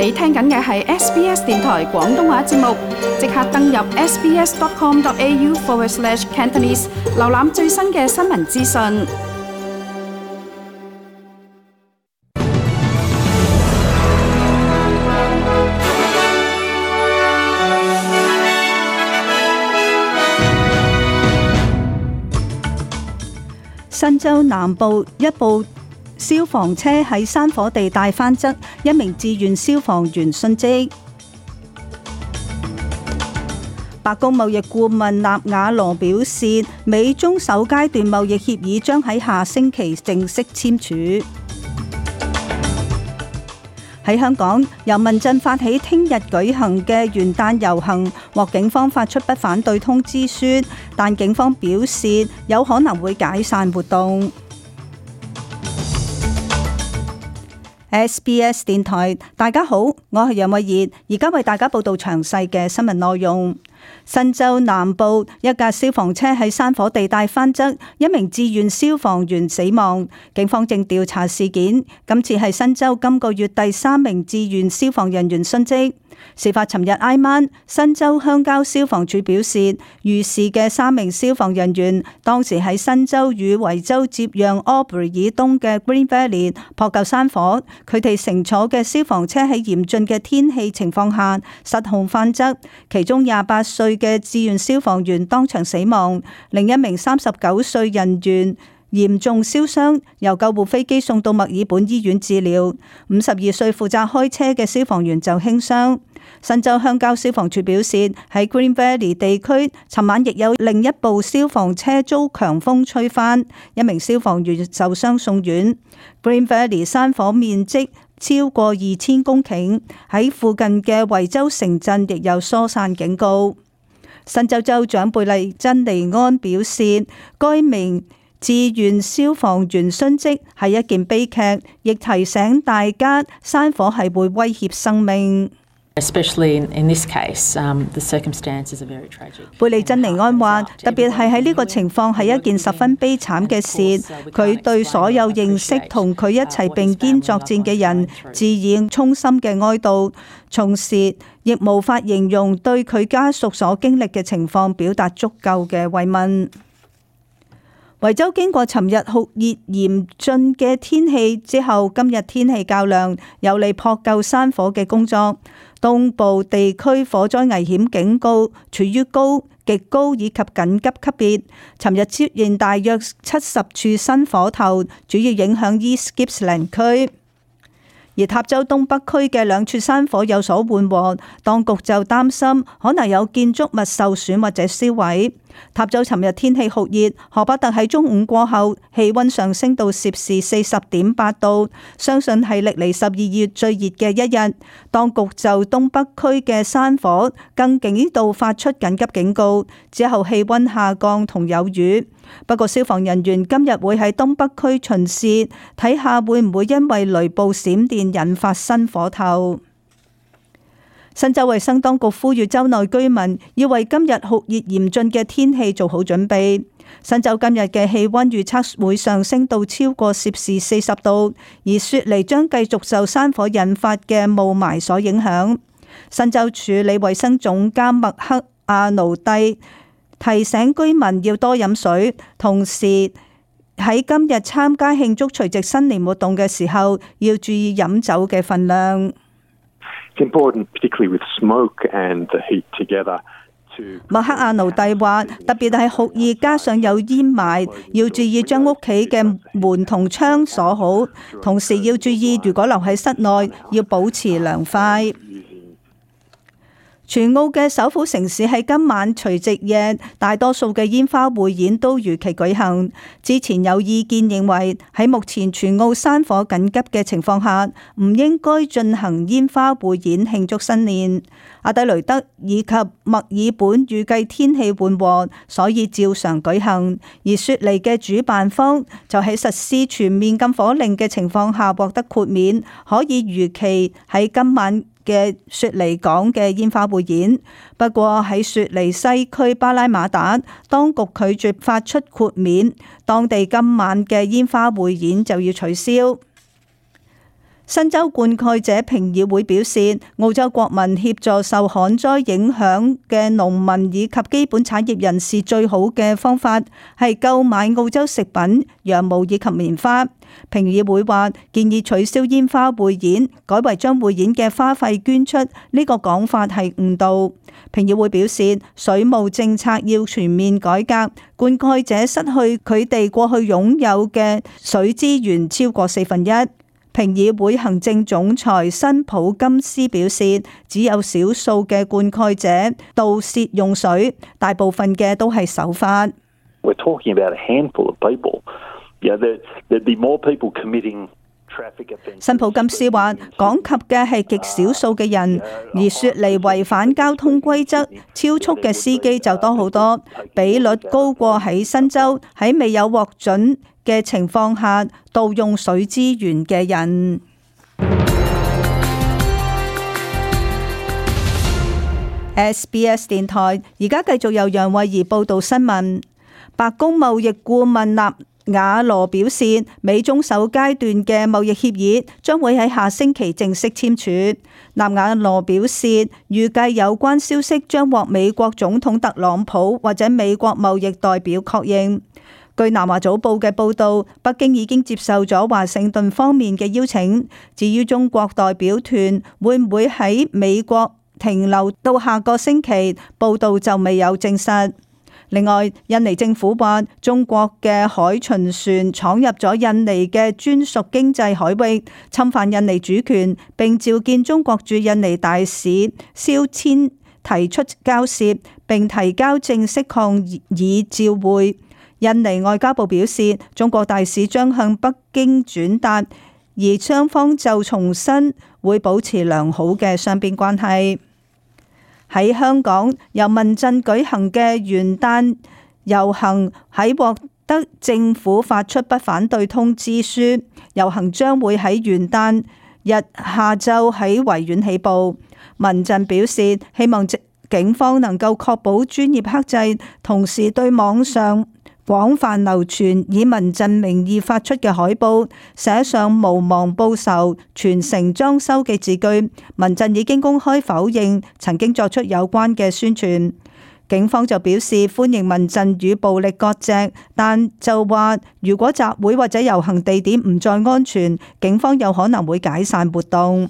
你聽緊嘅係 SBS 電台廣東話節目，即刻登入 sbs.com.au/Cantonese 瀏覽最新嘅新聞資訊。新州南部一部消防車喺山火地帶翻側，一名志願消防員殉職。白宮貿易顧問納瓦羅表示，美中首階段貿易協議將喺下星期正式簽署。喺香港，由民陣發起聽日舉行嘅元旦遊行，獲警方發出不反對通知書，但警方表示有可能會解散活動。SBS 電台，大家好，我係楊慧儀，而家為大家報道詳細嘅新聞內容。新州南部一架消防車喺山火地帶翻側，一名志願消防員死亡，警方正調查事件。今次係新州今個月第3名志願消防人員殉職。事發尋日挨晚，新州鄉郊消防處表示，遇事嘅3名消防人員當時喺新州與維州接壤 Albury 以東嘅 Green Valley 撲救山火，佢哋乘坐嘅消防車喺嚴峻嘅天氣情況下失控翻側，其中28歲嘅志願消防員當場死亡，另一名39歲人員嚴重燒傷，由救護飛機送到墨爾本醫院治療。52歲負責開車嘅消防員就輕傷。新州鄉郊消防處表示，喺 Green Valley 地區，尋晚亦有另一部消防車遭強風吹翻，一名消防員受傷送院。Green Valley 山火面積超過2000公頃，喺附近嘅維州城鎮亦有疏散警告。新州州長貝利珍尼安表示，該名志願消防員殉職係一件悲劇，亦提醒大家山火係會威脅生命。Especially in this case, the circumstances are very tragic. 貝利珍尼安話，特別係喺呢個情況係一件十分悲慘嘅事。佢對所有認識同佢一齊並肩作戰嘅人致以衷心嘅哀悼，同時亦無法形容對佢家屬所經歷嘅情況表達足夠嘅慰問。維州經過尋日酷熱嚴峻嘅天氣之後，今日天氣較涼，有利撲救山火嘅工作。東部地區火災危險警告處於高、極高以及緊急級別。尋日出現大約70處新火頭，主要影響 East Gippsland 區。而塔州東北區嘅2處山火有所緩和，當局就擔心可能有建築物受損或者燒毀。塔州尋日天氣酷熱，荷巴特喺中午過後氣溫上升到攝氏40.8度，相信係歷嚟12月最熱嘅一日。當局就東北區嘅山火更幾度發出緊急警告，之後氣溫下降同有雨。不過消防人員今日會喺東北區巡視，睇下會唔會因為雷暴閃電引發新火頭。新州衛生當局呼籲州內居民要為今日酷熱嚴峻嘅天氣做好準備。新州今日嘅氣溫預測會上升到超過攝氏40度，而雪梨將繼續受山火引發嘅霧霾所影響。新州處理衛生總監麥克阿奴蒂提醒居民要多飲水，同時喺今日參加慶祝除夕新年活動嘅時候，要注意飲酒嘅分量。麥克阿奴蒂話，特別係酷熱加上有煙霾，要注意將屋企嘅門同窗鎖好，同時要注意如果留喺室內，要保持涼快。全澳嘅首府城市喺今晚除夕夜，大多數嘅煙花匯演都如期舉行。之前有意見認為，喺目前全澳山火緊急嘅情況下，唔應該進行煙花匯演慶祝新年。阿德雷德以及墨爾本預計天氣緩和，所以照常舉行。而雪梨嘅主辦方就喺實施全面禁火令嘅情況下獲得豁免，可以如期喺今晚嘅雪梨港嘅煙花匯演。不過喺雪梨西區巴拉馬達，當局拒絕發出豁免，當地今晚嘅煙花匯演就要取消。新州灌溉者評議會表示，澳洲國民協助受旱災影響嘅農民以及基本產業人士最好嘅方法係購買澳洲食品、羊毛以及棉花。評議會話建議取消煙花匯演，改為將匯演嘅花費捐出，呢個講法係誤導。評議會表示，水務政策要全面改革，灌溉者失去佢哋過去擁有嘅水資源超過1/4。評議會行政總裁辛普金斯表示，只有少數嘅灌溉者盜竊用水，大部分嘅都係守法。We're talking about a handful of people. There'd be more people committing traffic offences. 辛普金斯話，講及嘅係極少數嘅人，而説嚟違反交通規則、超速嘅司機就多好多，比率高過喺新州喺未有獲准嘅情況下盜用水資源嘅人。SBS 電台而家繼續由楊慧儀報道新聞。白宮貿易顧問納瓦羅表示，美中首階段嘅貿易協議將會喺下星期正式簽署。納瓦羅表示，預計有關消息將獲美國總統特朗普或者美國貿易代表確認。據南華早報嘅報導，北京已經接受咗華盛頓方面嘅邀請。至於中國代表團會唔會喺美國停留到下個星期，報導就未有證實。另外，印尼政府話中國嘅海巡船闖入咗印尼嘅專屬經濟海域，侵犯印尼主權，並召見中國駐印尼大使肖千提出交涉，並提交正式抗議照會。印尼外交部表示，中國大使將向北京轉達，而雙方就重申會保持良好嘅雙邊關係。喺香港，由民陣舉行嘅元旦遊行喺獲得政府發出不反對通知書，遊行將會喺元旦日下晝喺維園起步。民陣表示，希望警方能夠確保專業克制，同時對網上廣泛流傳以民陣名義發出嘅海報寫上無忘報仇、全城裝修嘅字句。民陣已經公開否認曾經作出有關嘅宣傳。警方就表示歡迎民陣與暴力割席，但就話如果集會或者遊行地點唔再安全，警方有可能會解散活動。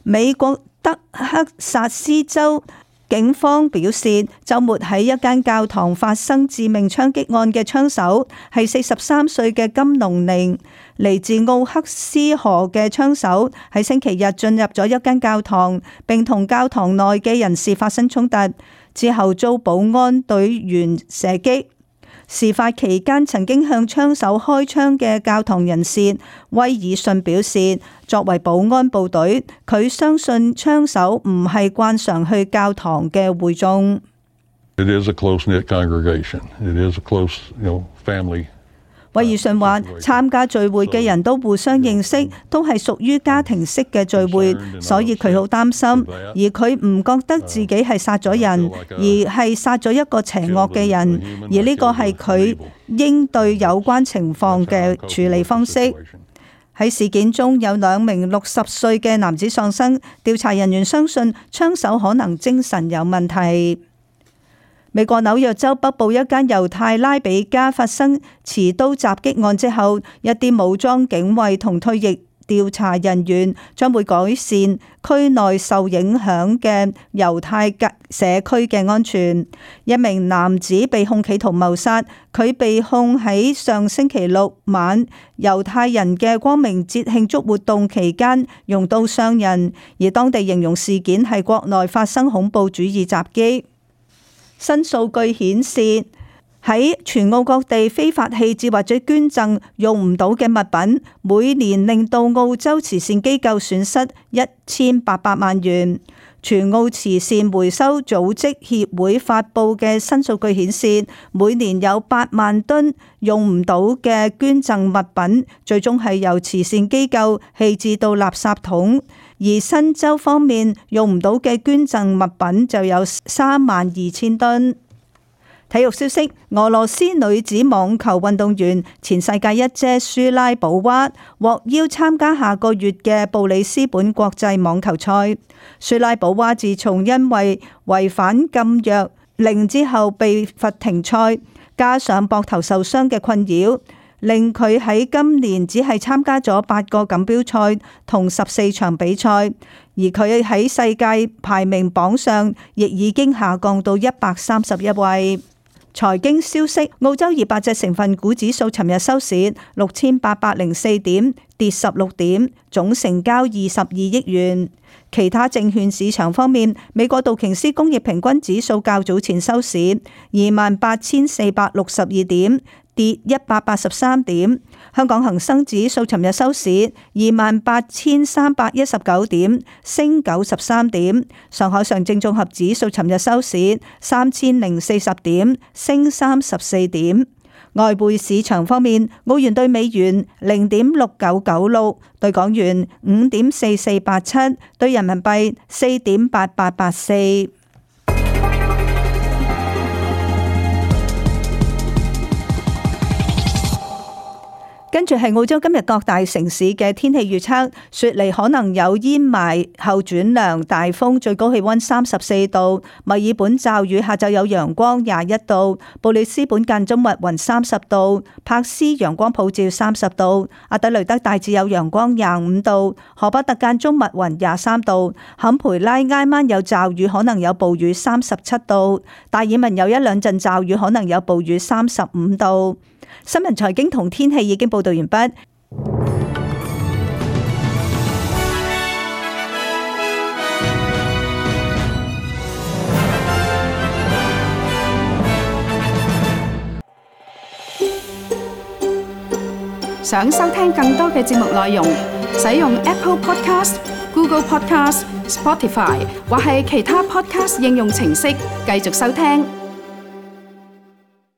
美國德克薩斯州警方表示，週末喺一間教堂發生致命槍擊案嘅槍手係43歲嘅金龍寧，嚟自奧克斯河嘅槍手喺星期日進入咗一間教堂，並同教堂內嘅人士發生衝突，之後遭保安隊員射擊。事發期間曾經向槍手開槍嘅教堂人士威爾遜表示，作為保安部隊，佢相信槍手唔係慣常去教堂嘅會眾。It is a close-knit congregation. It is a close, family. 威爾遜話：參加聚會嘅人都互相認識，都係屬於家庭式嘅聚會，所以佢好擔心。而佢唔覺得自己係殺咗人，而係殺咗一個邪惡嘅人。而呢個係佢應對有關情況嘅處理方式。喺事件中有2名60歲嘅男子喪生，調查人員相信槍手可能精神有問題。美國紐約州北部一間猶太拉比家發生持刀襲擊案之後，一啲武裝警衛同退役調查人員將會改善區內受影響嘅猶太社區嘅安全。一名男子被控企圖謀殺，佢被控喺上星期6晚猶太人嘅光明節慶祝活動期間用刀傷人，而當地形容事件係國內發生恐怖主義襲擊。新數據顯示，喺全澳各地非法棄置或者捐贈用唔到嘅物品，每年令到澳洲慈善機構損失1800萬元。全澳慈善回收組織協會發布嘅新數據顯示，每年有8萬噸用唔到嘅捐贈物品，最終係由慈善機構棄置到垃圾桶。而新州方面用唔到嘅捐贈物品就有32000噸。體育消息：俄羅斯女子網球運動員前世界一姐舒拉寶娃獲邀參加下個月嘅布里斯本國際網球賽。舒拉寶娃自從因為違反禁藥令之後被罰停賽，加上膊頭受傷嘅困擾，令佢喺今年只係參加咗8個錦標賽同14場比賽，而佢喺世界排名榜上亦已經下降到131位。財經消息：澳洲200隻成分股指數尋日收市6804點，跌16點，總成交22億元。其他證券市場方面，美國道瓊斯工業平均指數較早前收市28,462點，跌183點。香港恒生指數尋日收市28,319點，升93點。上海上證綜合指數尋日收市3040點，升34點。外匯市場方面，澳元兌美元0.6996，兌港元5.4487，兌人民幣4.8884。跟住係澳洲今日各大城市嘅天氣預測，雪梨可能有煙霾後轉涼，大風，最高氣溫34度；墨爾本驟雨，下晝有陽光21度；布里斯本間中密雲30度；柏斯陽光普照30度；阿德雷德大致有陽光25度；荷伯特間中密雲23度；坎培拉挨晚有驟雨，可能有暴雨37度；達爾文有一兩陣驟雨，可能有暴雨35度。新聞財經同天氣已經報道完畢。想收聽更多嘅節目內容，使用 Apple Podcast、Google Podcast、Spotify 或係其他 Podcast 應用程式繼續收聽。